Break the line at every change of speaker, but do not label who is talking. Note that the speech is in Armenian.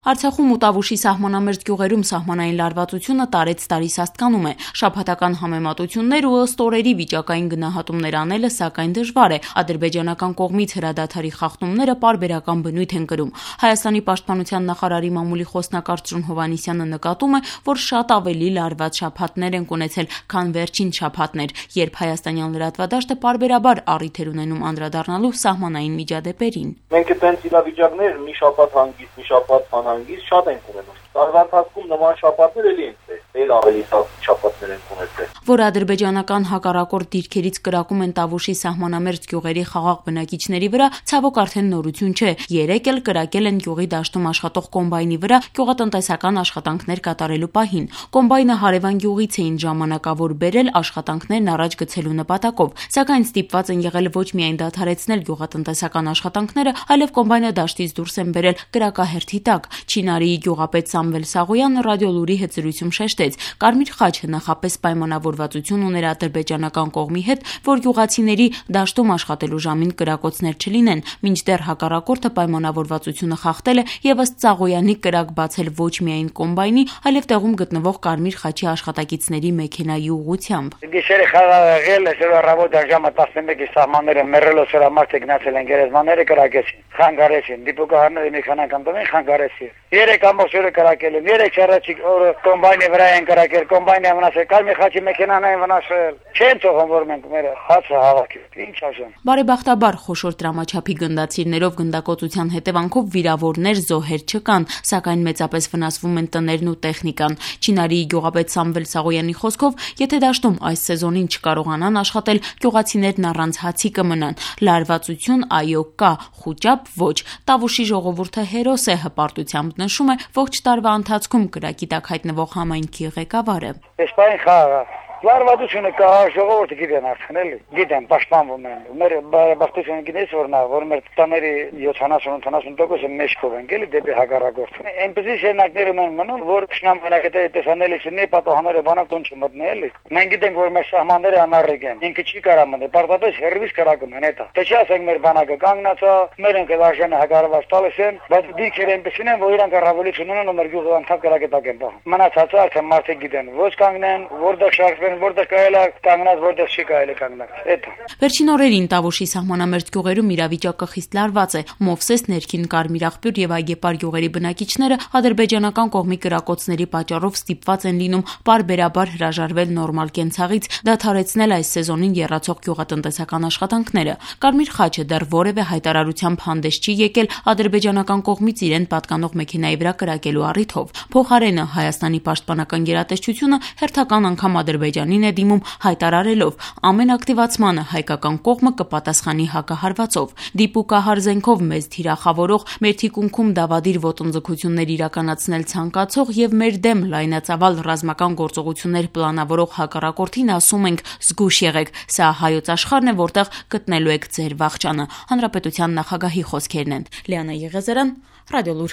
Արցախում ու Տավուշի սահմանամերձ գյուղերում սահմանային լարվածությունը տարեց տարի սաստկանում է։ Շաբաթական համեմատություններ ու ըստ օրերի վիճակային գնահատումներ անելը սակայն դժվար է։ Ադրբեջանական կողմից հրադադարի խախտումները պարբերական բնույթ են կրում։ Հայաստանի պաշտպանության նախարարի մամուլի խոսնակ Արծրուն Հովհաննիսյանը նկատում է, որ շատ ավելի լարված շաբաթներ են ունեցել, քան վերջին շաբաթներ, երբ հայաստանյան լրատվադաշտը պարբերաբար առիթ էր ունենում անդրադառնալու սահմանային միջադեպերին։
Մենք այդպես իրավիճակներ մի շաբաթ հանգիստ, մի շաբաթ անհանգիստ շատ ենք ունենում։ Տարվա ընթացքում նման շաբաթներ էլի են ել ավելի շաբաթներ են ունեցել։
Որ ադրբեջանական հակառակորդ դիրքերից կրակում են Տավուշի սահմանամերձ գյուղերի խաղաղ բնակիչների վրա, ցավոք արդեն նորություն չէ։ Երեկ էլ կրակել են գյուղի դաշտում աշխատող կոմբայնի վրա գյուղատնտեսական աշխատանքներ կատարելու պահին։ Կոմբայնը հարևան գյուղից էին ժամանակավոր բերել աշխատանքներն առաջ գցելու նպատակով, սակայն ստիպված են եղել ոչ միայն դադարեցնել գյուղատնտեսական աշխատանքները, այլև կոմբայնը դաշտից դուրս են բերել կրակահերթի տակ։ Չինարիի գյուղապետ Սամվել Սաղոյանը ռադիոլուրի հետ զրույցում շեշտեց. Կարմիր խաչը նախապես պայմանավորվածություն ուներ ադրբեջանական կողմի հետ, որ գյուղացիների դաշտում աշխատելու ժամին կրակոցներ չլինեն, մինչդեռ հակառակորդը պայմանավորվածությունը խախտել է եւ ըստ Սաղոյանի կրակ բացել ոչ միայն կոմբայնի, այլև տեղում գտնվող Կարմիր խաչի աշխատակիցների մեքենայի ուղղությամբ։
Գիշերը խաղ եղել է, առավոտյան ժամը 11-ի սահմանները մեռելով սրամարտը գնացել են գերեզմանները կրակեցին, խանգարեցին, դիպուկահարները մի քանակ անդամին խանգարեցին։ Երեք ամբողջ օրը կրակել են, երեք առաջիկ օրը կոմբայնի վրա են կրակել, կոմբայնի վնասել, Կարմիր խաչի մեքենան են վնասել։ Չեն թողում որ մենք մեր հացը հավաքենք, ինչ ասեմ։
Բարեբախտաբար խոշոր տրամաչափի գնդացիրներով գնդակոծության հետևանքով վիրավորներ, զոհեր չկան, սակայն մեծապես վնասվում են տներն ու տեխնիկան։ Չինարիի գյուղապետ Սամվել Սաղոյանի խոսքով, եթե դաշտում այս սեզոնին չկարողանան աշխատել, գյուղացիներն առանց հացի կմնան։ Լարվածություն այո կա, խուճապ ոչ։ Տավուշի ժողովուրդը հերոս է, հպարտությամբ նշում է ողջ տարվա ընթացքում կրակի տակ հայտնվող համայնքի ղեկավարը։
Էսպայն խաղա Լարվածությունը կա, ժողովուրդը գիտեն արդեն էլի, գիտեն, պաշտպանվում են։ Մեր բարեբախտությունը գիտես որ մեր տաների 70-80%-ը մեջքով են գելի դեպի հակառակորդը։ Այնպեսի շերնակներ են մնում, որ շնամանակետերը տեսանելի չնի, պատահները բանակտուն չմտնի էլի։ Մենք գիտենք, որ մեր սահմանները անառիկ են, ինքը չի կարա մնալ, պարտադիր հերվից կրակում են հետա։ Թե չասենք մեր բանակը կանգնած է, մեր ընկել արժանը հակառակված տալիս են, բայց դիքեր այնպեսին են, որ իրանք առավելություն ունեն ու մեր գյուղը անդամ կրակետակ են բախում։ Մնացածը արդեն մարդիկ գիտեն, ոչ կանգնեն, որտեղ շարժվեն, որտեղ կարելի է կանգնած, որտեղ չի կարելի կանգնած։ Էդ։
Վերջին օրերին Տավուշի սահմանամերձ գյուղերում իրավիճակը խիստ լարված է։ Մովսես, Ներքին Կարմիր աղբյուր եւ Այգեպար գյուղերի բնակիչները ադրբեջանական կողմի կրակոցների պատճառով ստիպված են լինում պարբերաբար հրաժարվել նորմալ կենցաղից, դադարեցնել այս սեզոնին եռացող գյուղատնտեսական աշխատանքները։ Կարմիր խաչը դեռ որևէ հայտարարությամբ հանդես չի եկել ադրբեջանական կողմից իրեն պատկանող մեքենայի վրա կրակելու առիթով։ Փոխարենը Հայաստանի պաշտպանական գերատեսչությունը հերթական անգամ Ադրբեջանին է դիմում հայտարարելով ամեն ակտիվացմանը հայկական կողմը կպատասխանի հակահարվածով։ Դիպուկահար զենքով մեզ թիրախավորող, մեր թիկունքում դավադիր ոտնձգություններ իրականացնել ցանկացող եւ մեր դեմ լայնածավալ ռազմական գործողություններ պլանավորող հակառակորդին ասում ենք զգույշ եղեք, սա հայոց աշխարհն է, որտեղ գտնելու եք ձեր վախճանը։ Հանրապետության նախագահի խոսքերն են։ Լիանա Եղեզարյան, Ռադիոլուր։